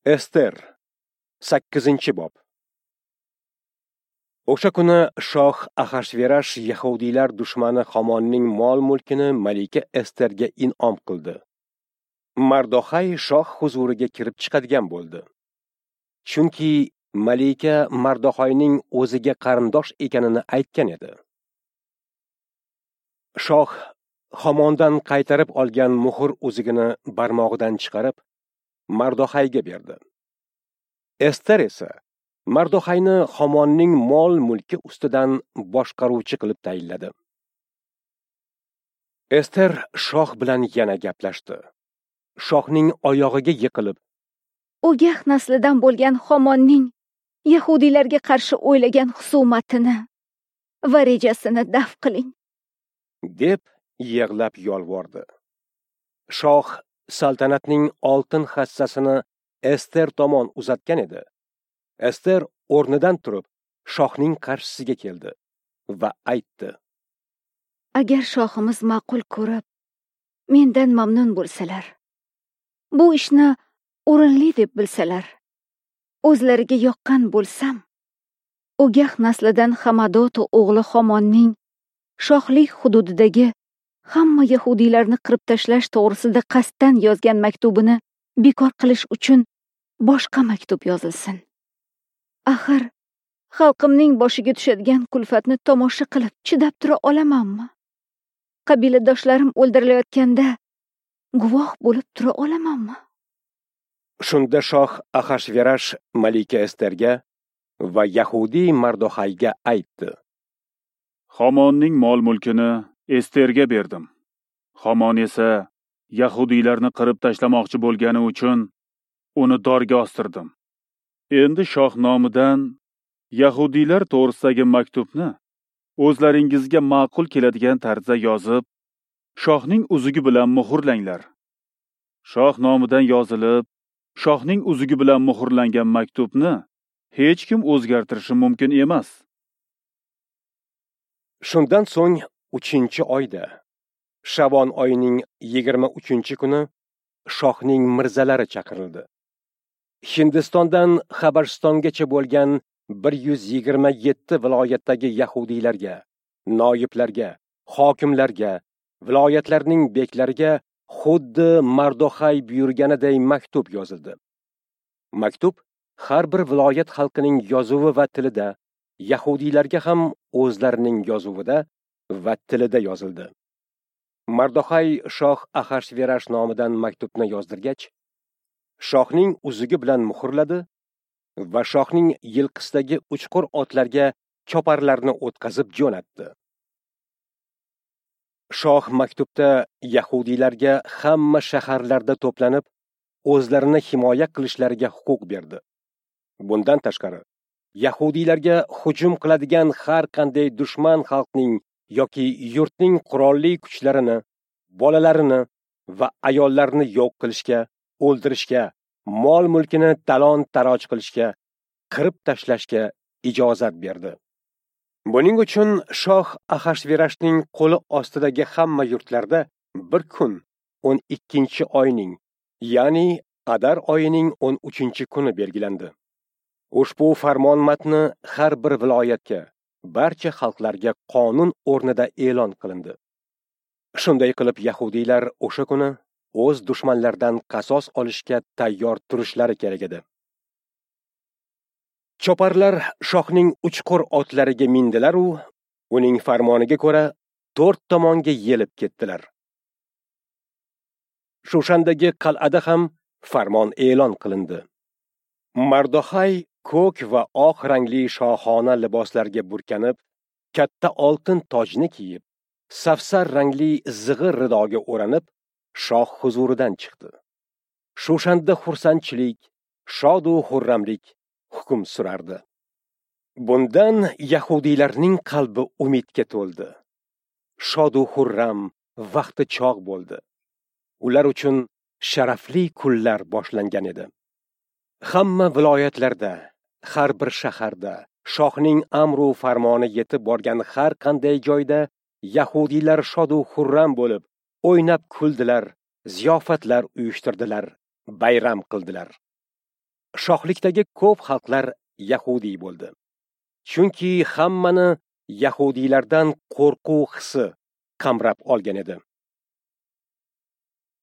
Ester 8-bob. O'sha kuni shoh Axashverash yahudiylar dushmani Hamonning mol-mulkini malika Esterga in'om qildi. Mardoxay shoh huzuriga kirib chiqadigan bo'ldi. Chunki malika Mardoxayning o'ziga qarindosh ekanini aytgan edi. Shoh Hamondan qaytarib olgan muhr uzugini barmog'idan chiqarib Mardoxayga berdi. Ester esa Mardoxayni Hamonning mol-mulki ustidan boshqaruvchi qilib tayinladi. Ester shoh bilan yana gaplashdi. Shohning oyog'iga yiqilib, O'gah naslidan bo'lgan Hamonning yahudiylarga qarshi o'ylagan husumatini va rejasini daf qiling, deb yig'lab yolvordi. Shoh saltanatning oltin hassasini Ester tomon uzatgan edi. Ester o'rnidan turib, shohning qarshisiga keldi va aytdi: Agar shohimiz ma'qul ko'rib, mendan mamnun bo'lsalar, bu ishni o'rinli deb bilsalar, o'zlariga yoqqan bo'lsam, O'gah naslidan Hamadoto o'g'li Hamonning shohlik hududidagi hamma yahudiylarni qirib tashlash to'g'risida qasddan yozgan maktubini bekor qilish uchun boshqa maktub yozilsin. Axir xalqimning boshiga tushadigan kulfatni tomosha qilib chidab tura olamanmi? Qabiladoshlarim o'ldirilayotganda guvoh bo'lib tura olamanmi? Shunda shoh Axashverash malika Esterga va yahudiy Mardoxayga aytdi: Hamonning mol-mulkini Esterga berdim. Hamon esa yahudiylarni qirib tashlamoqchi bo'lgani uchun uni dorga ostirdim. Endi shoh nomidan yahudiylar to'g'risidagi maktubni o'zlaringizga ma'qul keladigan tarzda yozib, shohning uzugi bilan muhrlanglar. Shoh nomidan yozilib, shohning uzugi bilan muhrlangan maktubni hech kim o'zgartirishi mumkin emas. Shundan so'ng 3-oyda, Shavon oyining 23-kuni shohning mirzalari chaqirildi. Hindistondan Habashistongacha bo'lgan 127 viloyatdagi yahudiylarga, noyiblarga, hokimlarga, viloyatlarning beklariga xuddi Mardoxay buyurganiday maktub yozildi. Maktub har bir viloyat xalqining yozuvi va tilida, yahudiylarga ham o'zlarining yozuvida va tilida yozildi. Mardoxay shoh Axashverash nomidan maktubni yozdirgach, shohning uzugi bilan muhrladi va shohning yilqisidagi uchqur otlarga choparlarni o'tkazib jo'natdi. Shoh maktubda yahudiylarga hamma shaharlarda to'planib, o'zlarini himoya qilishlariga huquq berdi. Bundan tashqari, yahudiylarga hujum qiladigan har qanday dushman xalqning yoki yurtning qurolli kuchlarini, bolalarini va ayollarni yo'q qilishga, o'ldirishga, mol-mulkini talon-taroj qilishga, qirib tashlashga ijozat berdi. Buning uchun shoh Axashverashning qo'li ostidagi hamma yurtlarda bir kun 12-oyning, ya'ni Adar oyining 13-kuni belgilandi. Ushbu farmon matni har bir viloyatga, barcha xalqlarga qonun o'rnida e'lon qilindi. Shunday qilib yahudiylar o'sha kuni o'z dushmanlaridan qasos olishga tayyor turishlari kerak edi. Choparlar shohning uchqur otlariga mindilar u uning farmoniga ko'ra 4 tomonga yelib ketdilar. Shushandagi qal'ada ham farmon e'lon qilindi. Mardoxay ko'k va oq rangli shohona liboslarga burkanib, katta oltin tojni kiyib, safsar rangli zig'ir ridoga o'ranib, shoh huzuridan chiqdi. Shushanda xursandchilik, shod u xurramlik hukm surardi. Bundan yahudiylarning qalbi umidga to'ldi. Shod u xurram vaqti chog' bo'ldi. Ular uchun sharafli kunlar boshlangan edi. Hamma viloyatlarda, har bir shaharda shohning amru farmoni yetib borgan har qanday joyda yahudiylar shod u xurram bo'lib, o'ynab kuldilar, ziyofatlar uyushtirdilar, bayram qildilar. Shohlikdagi ko'p xalqlar yahudiy bo'ldi. Chunki hammani yahudiylardan qo'rquv hissi qamrab olgan edi.